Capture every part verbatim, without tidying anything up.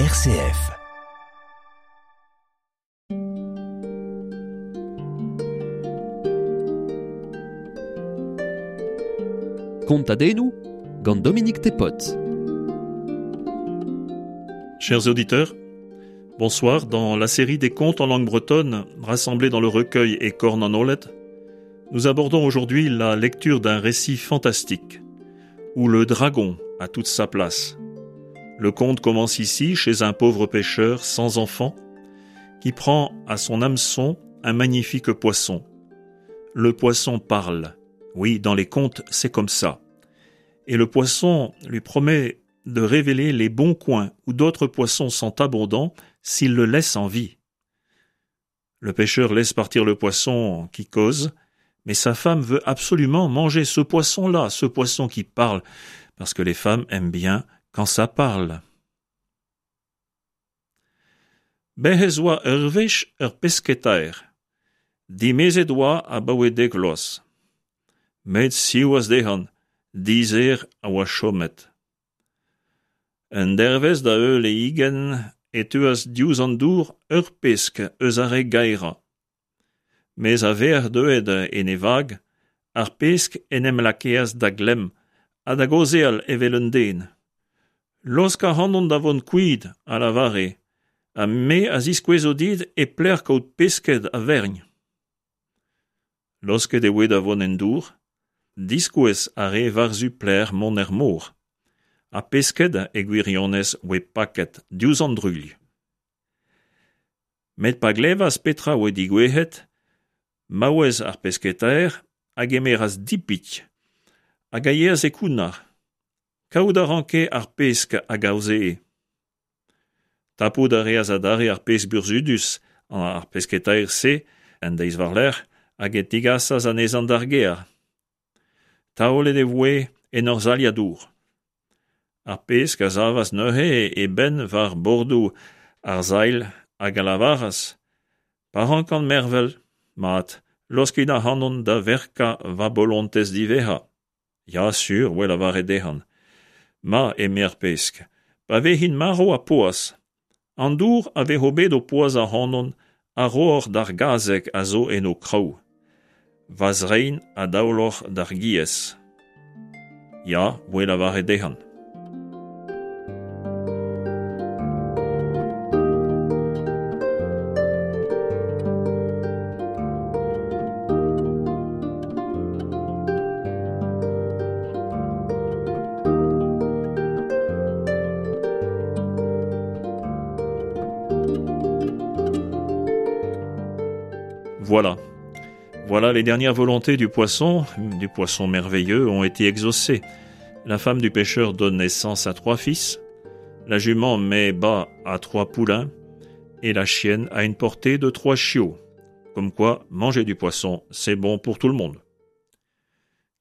R C F. Kontadennoù gant Dominique Thépaut. Chers auditeurs, bonsoir. Dans la série des contes en langue bretonne, rassemblés dans le recueil E Korn an Oaled, nous abordons aujourd'hui la lecture d'un récit fantastique, où le dragon a toute sa place. Le conte commence ici, chez un pauvre pêcheur sans enfant, qui prend à son hameçon un magnifique poisson. Le poisson parle. Oui, dans les contes, c'est comme ça. Et le poisson lui promet de révéler les bons coins où d'autres poissons sont abondants s'il le laisse en vie. Le pêcheur laisse partir le poisson qui cause, mais sa femme veut absolument manger ce poisson-là, ce poisson qui parle, parce que les femmes aiment bien quand ça parle. Bez' ez oa ur wech ur pesketaer. Dimezet oa abaoe dek vloaz. Met siwazh dezhañ, dizher a oa chomet. Un dervezh da heul e higenn e teuas diouzh an dour ur pesk eus ar re gaerañ. Mes a-vec'h deuet en e vag, ar pesk en em lakaas da glemm ha da gaozeal evel un den. Laosk ac'hanon da vont kuit, a lavare, ha me a ziskouezo dit e pelec'h kaout pesked a-vern. Laosket e voe da vont en dour, diskouez a rae war-zu pelec'h mont er mor. Ha pesked e gwirionez oa paket diouzh an druilh. Met pa glevas petra oa degouezhet, maouez ar pesketaer a gemeras dipit hag a yeas e kounnar. Kaout a ranke ar pesk a gaozee. Tapout a reas adarre ar pesk burzhudus ar pesketaer-se en deiz war-lerc'h hag e tigasas anezhañ d'ar gêr. Taolet e voe en ur sailhad dour. Ar pesk a savas neuze e benn war bordoù ar sailh hag a lavaras: Pa rankan mervel, mat, laoskit ac'hanon da verkañ va bolontez diwezhañ. Ya sur, oa lavaret dezhañ. Ma, eme ar pesk, pa vezin marv ha poazh, an dour a vezo bet o poazhañ ac'hanon a rooc'h d'ar gazeg a zo en ho kraou. Va zrein a daoloc'h d'ar giez. Ya, oa lavaret dezhañ. Voilà. Voilà, les dernières volontés du poisson, du poisson merveilleux, ont été exaucées. La femme du pêcheur donne naissance à trois fils, la jument met bas à trois poulains, et la chienne a une portée de trois chiots. Comme quoi, manger du poisson, c'est bon pour tout le monde.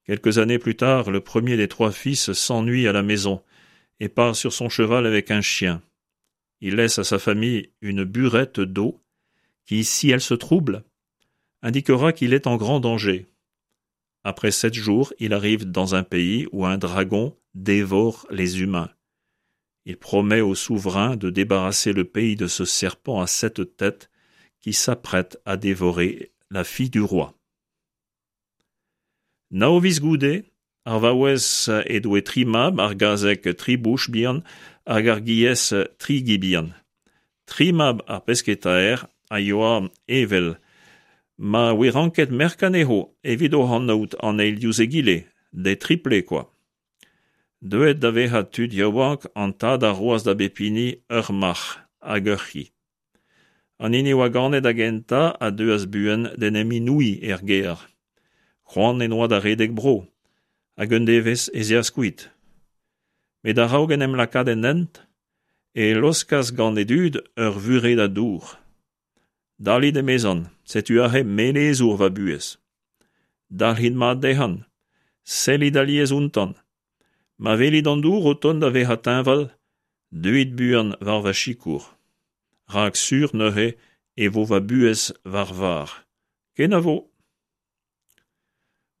Quelques années plus tard, le premier des trois fils s'ennuie à la maison et part sur son cheval avec un chien. Il laisse à sa famille une burette d'eau qui, si elle se trouble, indiquera qu'il est en grand danger. Après sept jours, il arrive dans un pays où un dragon dévore les humains. Il promet au souverain de débarrasser le pays de ce serpent à sept têtes qui s'apprête à dévorer la fille du roi. Nav viz goude, ar vaouez he doe tri mab, ar gazeg tri bouch bihan, hag ar giez tri gi bihan. Tri mab ar pesketaer a yoa evel ma oa ranket merk anezho evit o anaout an eil diouzh egile, des triplés quoi. Deuet da vezañ tud yaouank, an tad a roas da bep hini ur marc'h hag ur c'hi. An hini oa ganet da gentañ a deuas buan d'en em inouiñ er gêr. C'hoant en oa da redek bro, hag un devezh ez eas kuit. Met a-raok en em lakaat en hent, e laoskas gant e dud ur vuredad dour. Dalit emezan, setu aze melezour va buhez. Dalc'hit mat dezhañ, sellit alies outañ. Ma welit an dour o tont da vezañ teñval, deuit buan war va sikour. Rak sur neuze e vo va buhez war var. Kenavo.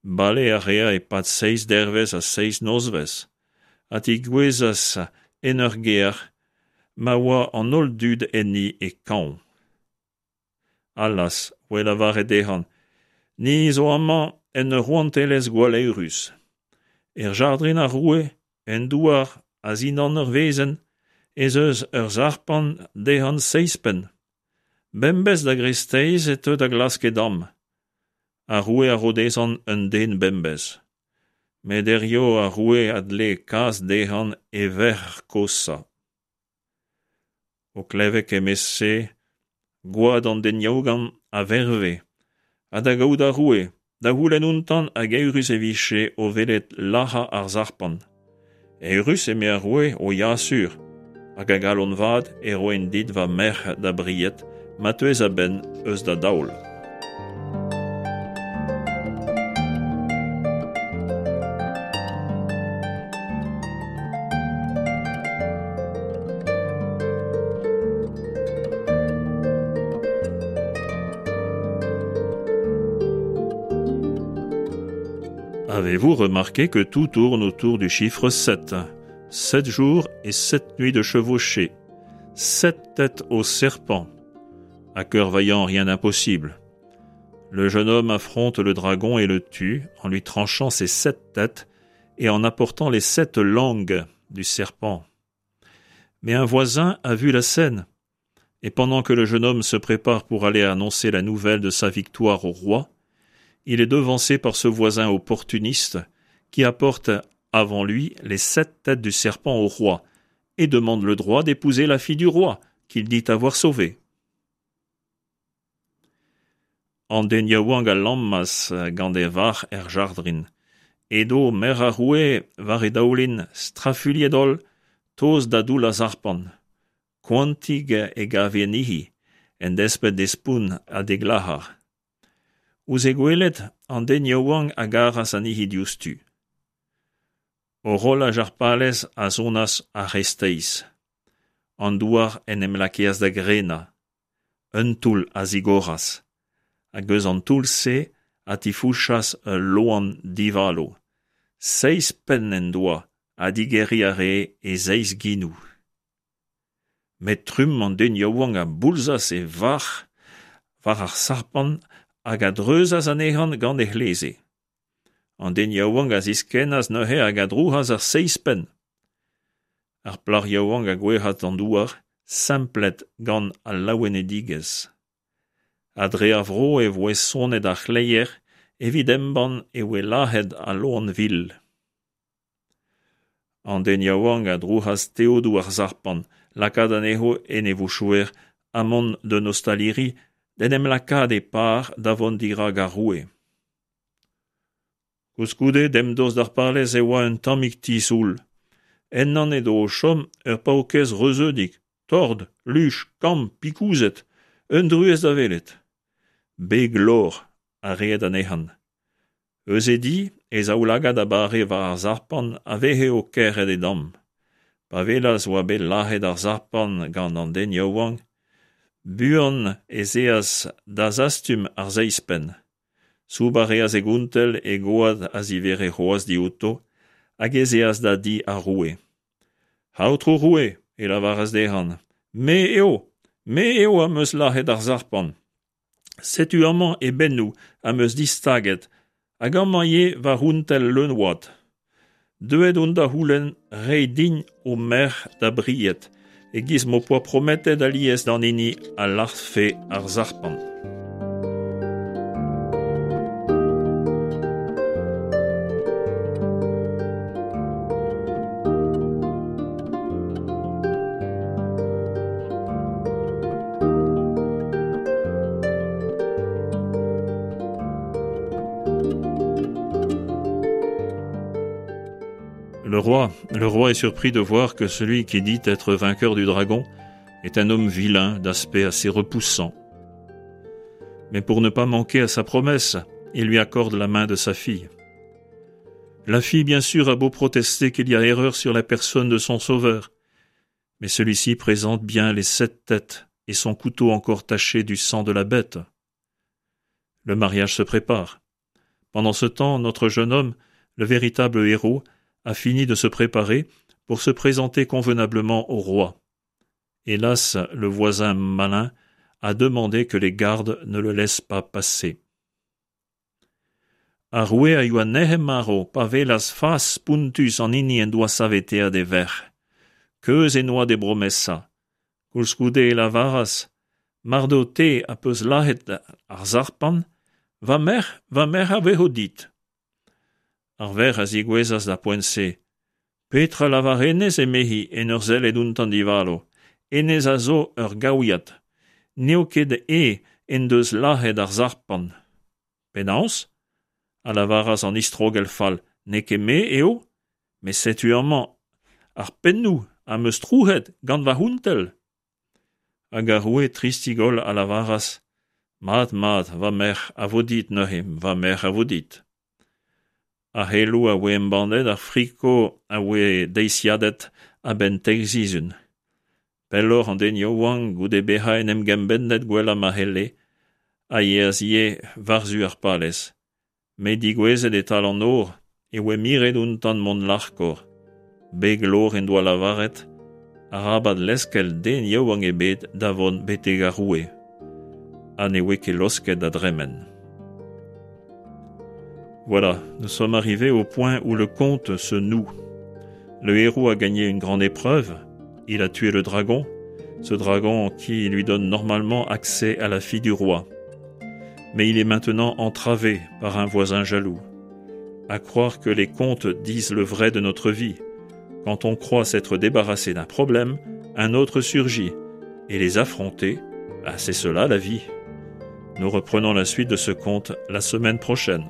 Bale a rea e-pad seizh dervezh ha seizh nozvezh, ha tegouezhas en ur gêr ma oa an holl dud enni e kañv. Allaz, oa lavaret dezhan, ni zo amañ en ur rouantelezh gwalleurus. Er jardrin ar roue, en douar a-zindan ur wezenn, ez eus ur sarpant dezhañ seizh penn. Bemdez da greisteiz e teu da glask e damm. Ar roue a ro dezhañ un den bemdez. Met hiziv ar roue a dle kas dezhañ e verc'h koshañ. O klevet kement-se, gwad an den yaouank a verve, ha da gaout ar roue, da c'houlenn outañ hag eürus e vije o welet lazhañ ar sarpant. Eürus, eme ar roue, o ya sur, hag a galon vat e roin dit va merc'h da bried, ma teuez a-benn eus da daol. Avez-vous remarqué que tout tourne autour du chiffre sept? Sept jours et sept nuits de chevauchée. Sept têtes au serpent. À cœur vaillant, rien d'impossible. Le jeune homme affronte le dragon et le tue en lui tranchant ses sept têtes et en apportant les sept langues du serpent. Mais un voisin a vu la scène. Et pendant que le jeune homme se prépare pour aller annoncer la nouvelle de sa victoire au roi, il est devancé par ce voisin opportuniste qui apporte avant lui les sept têtes du serpent au roi et demande le droit d'épouser la fille du roi qu'il dit avoir sauvée. An den yaouank a lammas gant e varc'h er jardrin. Edo merc'h ar roue war e daoulin strafuilhet-holl, tost da doull ar sarpant. Koantik e gave anezhi, en desped d'he spont ha d'he glac'har. Ouzh he gwelet, an den yaouank a garas anezhi diouzhtu. Horolaj ar palez a sonas ar c'hreisteiz. An douar en em lakaas da grenañ. Un toull a zigoras. Hag eus an toull-se a tifouchas ul loen divalo. Seizh penn en doa ha digeriñ a rae e seizh genoù. Met trumm an den yaouank a boulzas e varc'h war ar sarpant hag a dreuzas anezhañ gant e c'hleze. An den yaouank a ziskennas neuze hag a drouc'has ar seizh penn. Ar plac'h yaouank a gouezhas d'an douar, semplet gant al laouenedigezh. Ha dre ar vro e voe sonet ar c'hleier evit embann e voe lazhet al loen vil. An den yaouank a drouc'has teodoù ar sarpant, lakaat anezho en e vouchouer ha mont d'un ostaliri d'en em lakaat e par da vont dirak ar roue. Koulskoude, demdost d'ar palez e oa un tammig ti soul. Ennañ edo o chom ur paourkaezh reuzeudik, tort, luch, kamm, pikouzet, un druez da welet. Beg lor a reed anezhañ. Eus e di, e zaoulagad a bare war ar sarpant a veze o kerc'hat e damm. Pa welas oa bet lazhet ar sarpant gant an den yaouank, buan ez eas da zastum ar seizh penn. Soubañ a reas e gontell e gwad a zivere c'hoazh diouto hag ez eas da di ar roue. Aotrou roue, e lavaras dezhañ, me eo, me eo am eus lazhet ar sarpant. Setu amañ e bennoù am eus distaget hag amañ ivez va c'hountell leun-wad. Deuet on da c'houlenn reiñ din ho merc'h da bried, e-giz m'ho poa prometet alies d'an hini a lazhfe ar sarpant. Le roi, le roi est surpris de voir que celui qui dit être vainqueur du dragon est un homme vilain d'aspect assez repoussant. Mais pour ne pas manquer à sa promesse, il lui accorde la main de sa fille. La fille, bien sûr, a beau protester qu'il y a erreur sur la personne de son sauveur, mais celui-ci présente bien les sept têtes et son couteau encore taché du sang de la bête. Le mariage se prépare. Pendant ce temps, notre jeune homme, le véritable héros, a fini de se préparer pour se présenter convenablement au roi. Hélas, le voisin malin a demandé que les gardes ne le laissent pas passer. Ar roue a yoa nec'het-marv pa welas fas spontus an hini en doa saveteet e verc'h. Keuz en doa d'e bromesa. Koulskoude e lavaras, Mar deo te az peus lazhet ar sarpant, va merc'h, va merc'h a vezo dit. Ar verc'h a zigouezas d'ar poent-se. Petra lavar hennezh, emezi, en ur sellet outañ divalo. Hennezh a zo ur gaouiad. N'eo ket eñ en deus lazhet ar sarpant. Penaos ? A lavaras an istrogell fall, n'eo ket me eo ? Met setu amañ ar pennoù am eus trouc'het gant va c'hountell. Hag ar roue tristik-holl a lavaras Mat, mat, va merc'h a vo dit neuze, va merc'h a vo dit. Ar c'heloù a voe embannet, ar friko a voe deiziadet a-benn teir sizhun. Pelloc'h an den yaouank, goude bezañ en em gempennet gwellañ ma c'helle, a yeas ivez war-zu ar palez. Met degouezhet e-tal an nor e voe miret outañ mont larkoc'h. Beg-lor en doa lavaret arabat leuskel den yaouank ebet da vont betek ar roue. Ha ne voe ket laosket da dremen. Voilà, nous sommes arrivés au point où le conte se noue. Le héros a gagné une grande épreuve, il a tué le dragon, ce dragon qui lui donne normalement accès à la fille du roi. Mais il est maintenant entravé par un voisin jaloux. À croire que les contes disent le vrai de notre vie. Quand on croit s'être débarrassé d'un problème, un autre surgit. Et les affronter, bah c'est cela la vie. Nous reprenons la suite de ce conte la semaine prochaine.